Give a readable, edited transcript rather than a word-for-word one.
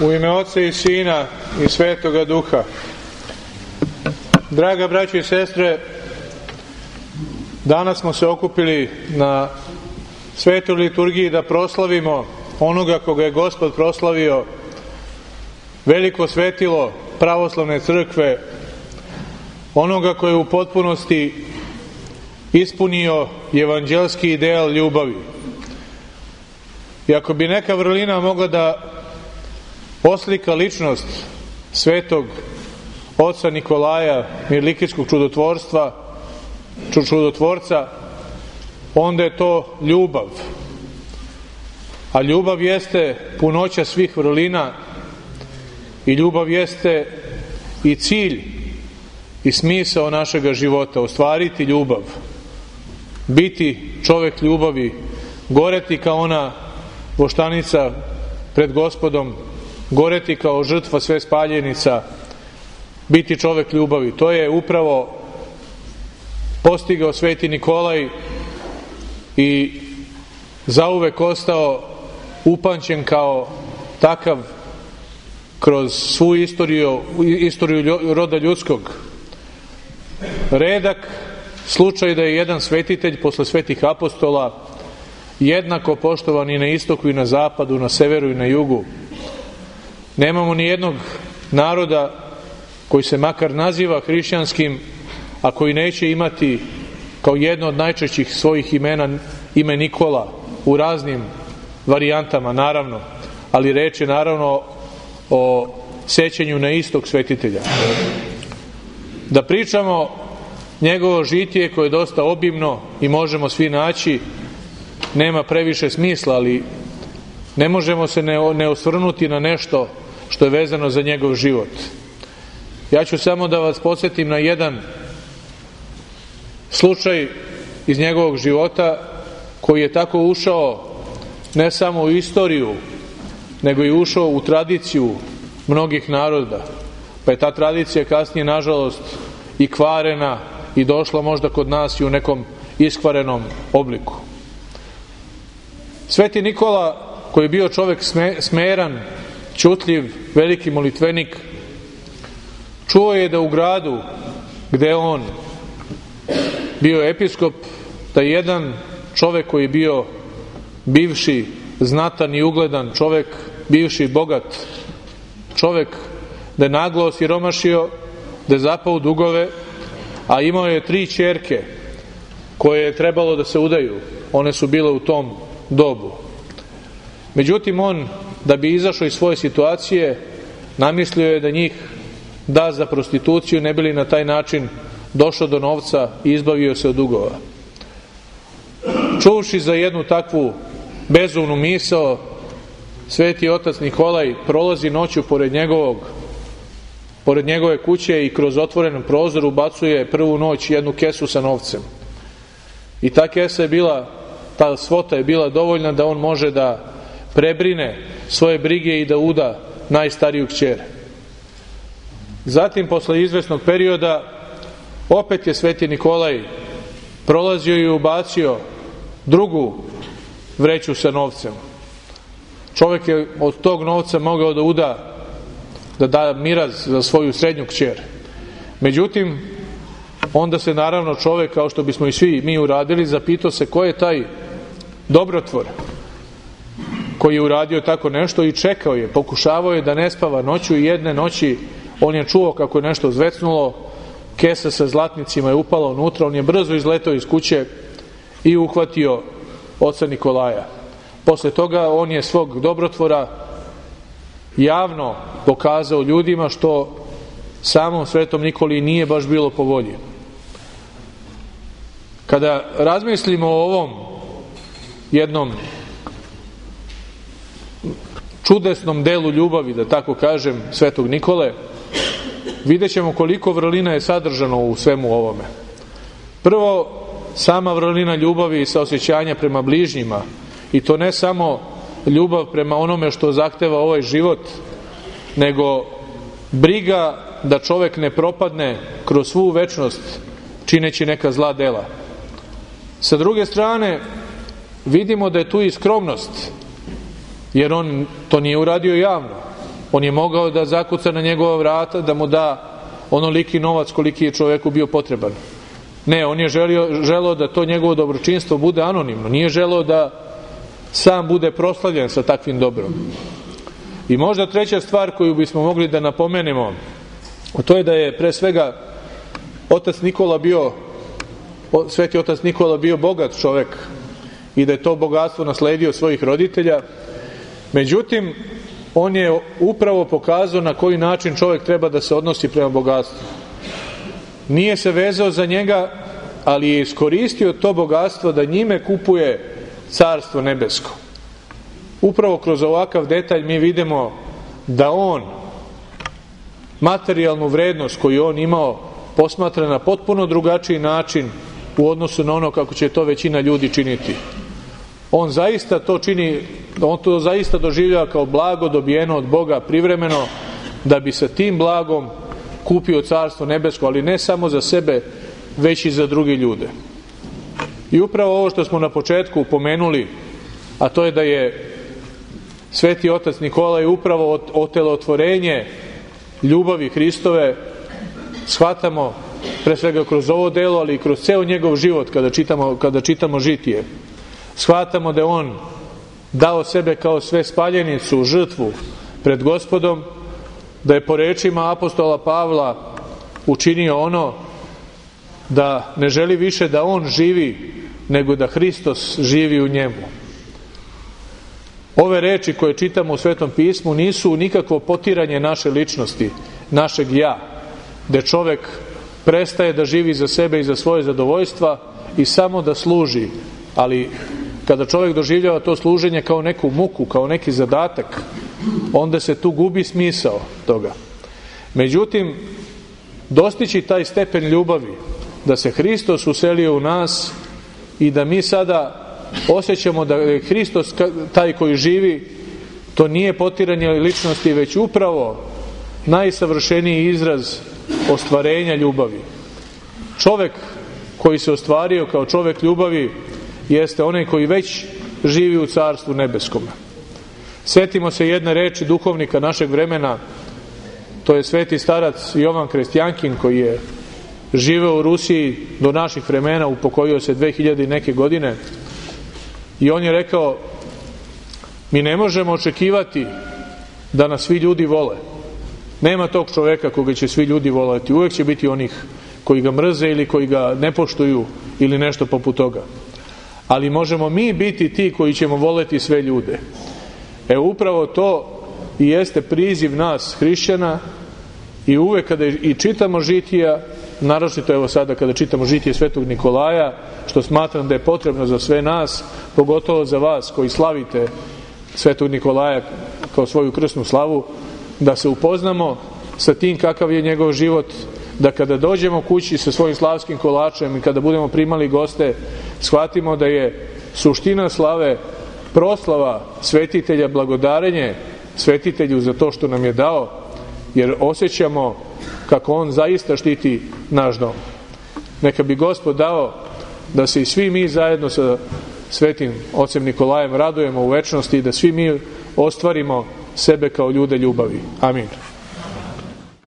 U ime Oca i Sina i Svetoga Duha. Draga braćo i sestre, danas smo se okupili na svetoj liturgiji da proslavimo onoga koga je Gospod proslavio, veliko svetilo pravoslavne crkve, onoga koji je u potpunosti ispunio evanđelski ideal ljubavi. I ako bi neka vrlina mogla da oslika ličnost svetog oca Nikolaja, mirlikijskog čudotvorca, onda je to ljubav. A ljubav jeste punoća svih vrlina i ljubav jeste i cilj i smisao našega života, ostvariti ljubav, biti čovek ljubavi, goreti kao ona voštanica pred Gospodom, goreti kao žrtva sve spaljenica, biti čovek ljubavi. To je upravo postigao sveti Nikolaj i zauvek ostao upamćen kao takav kroz svu istoriju roda ljudskog. Redak slučaj da je jedan svetitelj posle svetih apostola jednako poštovan i na istoku i na zapadu, na severu i na jugu. Nemamo ni jednog naroda koji se makar naziva hrišćanskim, a koji neće imati kao jedno od najčešćih svojih imena ime Nikola u raznim varijantama, naravno, ali reč je naravno o sećanju na istog svetitelja. Da pričamo njegovo žitije koje je dosta obimno i možemo svi naći, nema previše smisla, ali ne možemo se ne osvrnuti na nešto što je vezano za njegov život. Ja ću samo da vas podsjetim na jedan slučaj iz njegovog života koji je tako ušao ne samo u istoriju, nego i ušao u tradiciju mnogih naroda. Pa je ta tradicija kasnije, nažalost, i kvarena i došla možda kod nas i u nekom iskvarenom obliku. Sveti Nikola, koji je bio čovek smeran, ćutljiv, veliki molitvenik, čuo je da u gradu gde on bio episkop, da jedan čovek koji je bio bivši znatan i ugledan čovek, bivši bogat čovek, da je naglo osiromašio, da je zapao u dugove, a imao je 3 ćerke koje je trebalo da se udaju. One su bile u tom dobu. Međutim, on, da bi izašao iz svoje situacije, namislio je da njih da za prostituciju, ne bi li na taj način došao do novca i izbavio se od dugova. Čuvši za jednu takvu bezumnu misao, sveti otac Nikolaj prolazi noću pored njegove kuće i kroz otvoren prozor ubacuje prvu noć jednu kesu sa novcem. I ta kesa je bila, ta svota je bila dovoljna da on može da prebrine svoje brige i da uda najstariju kćer. Zatim, posle izvesnog perioda, opet je sveti Nikolaj prolazio i ubacio drugu vreću sa novcem. Čovjek je od tog novca mogao da da miraz za svoju srednju kćer. Međutim, onda se naravno čovjek, kao što bismo i svi mi uradili, zapitao se ko je taj dobrotvor koji je uradio tako nešto i čekao je, pokušavao je da ne spava noću i jedne noći on je čuo kako je nešto zvecnulo, kesa sa zlatnicima je upala unutra, on je brzo izletao iz kuće i uhvatio oca Nikolaja. Posle toga on je svog dobrotvora javno pokazao ljudima, što samom svetom Nikoli nije baš bilo po volji. Kada razmislimo o ovom jednom čudesnom delu ljubavi, da tako kažem, svetog Nikole, vidjet ćemo koliko vrlina je sadržano u svemu ovome. Prvo, sama vrlina ljubavi i saosećanja prema bližnjima, i to ne samo ljubav prema onome što zahteva ovaj život, nego briga da čovek ne propadne kroz svu večnost čineći neka zla dela. Sa druge strane, vidimo da je tu i skromnost, jer on to nije uradio javno. On je mogao da zakuca na njegova vrata, da mu da onoliki novac koliki je čoveku bio potreban. Ne, on je želeo da to njegovo dobročinstvo bude anonimno. Nije želeo da sam bude proslavljen sa takvim dobrom. I možda treća stvar koju bismo mogli da napomenemo, to je da je pre svega Sveti otac Nikola bio bogat čovek i da je to bogatstvo nasledio svojih roditelja. Međutim, on je upravo pokazao na koji način čovek treba da se odnosi prema bogatstvu. Nije se vezao za njega, ali je iskoristio to bogatstvo da njime kupuje Carstvo nebesko. Upravo kroz ovakav detalj mi vidimo da on materijalnu vrednost koju on imao posmatra na potpuno drugačiji način u odnosu na ono kako će to većina ljudi činiti. On zaista to čini, on to zaista doživljava kao blago dobijeno od Boga privremeno, da bi sa tim blagom kupio Carstvo nebesko, ali ne samo za sebe, već i za druge ljude. I upravo ovo što smo na početku pomenuli, a to je da je Sveti otac Nikolaj upravo otelotvorenje ljubavi Hristove, shvatamo pre svega kroz ovo delo, ali i kroz ceo njegov život kada čitamo žitije. Shvatamo da je on dao sebe kao sve spaljenicu, žrtvu pred Gospodom, da je po rečima apostola Pavla učinio ono da ne želi više da on živi, nego da Hristos živi u njemu. Ove reči koje čitamo u Svetom pismu nisu nikakvo potiranje naše ličnosti, našeg ja, gde čovek prestaje da živi za sebe i za svoje zadovoljstva i samo da služi, ali kada čovjek doživljava to služenje kao neku muku, kao neki zadatak, onda se tu gubi smisao toga. Međutim, dostići taj stepen ljubavi, da se Hristos uselio u nas i da mi sada osjećamo da je Hristos taj koji živi, to nije potiranje ličnosti, već upravo najsavršeniji izraz ostvarenja ljubavi. Čovek koji se ostvario kao čovek ljubavi jeste onaj koji već živi u Carstvu nebeskom. Sjetimo se jedne reči duhovnika našeg vremena, to je sveti starac Jovan Krestjankin, koji je živeo u Rusiji do naših vremena, upokojio se 2000 neke godine, i on je rekao: mi ne možemo očekivati da nas svi ljudi vole. Nema tog čoveka koga će svi ljudi voleti. Uvek će biti onih koji ga mrze ili koji ga ne poštuju ili nešto poput toga. Ali možemo mi biti ti koji ćemo voleti sve ljude. Upravo to i jeste priziv nas hrišćana, i uvek kada i čitamo žitija, naročito evo sada kada čitamo žitije Svetog Nikolaja, što smatram da je potrebno za sve nas, pogotovo za vas koji slavite Svetog Nikolaja kao svoju krsnu slavu, da se upoznamo sa tim kakav je njegov život, da kada dođemo kući sa svojim slavskim kolačem i kada budemo primali goste, shvatimo da je suština slave proslava svetitelja, blagodarenje svetitelju za to što nam je dao, jer osjećamo kako on zaista štiti naš dom. Neka bi Gospod dao da se i svi mi zajedno sa svetim ocem Nikolajem radujemo u večnosti i da svi mi ostvarimo sebe kao ljude ljubavi. Amin.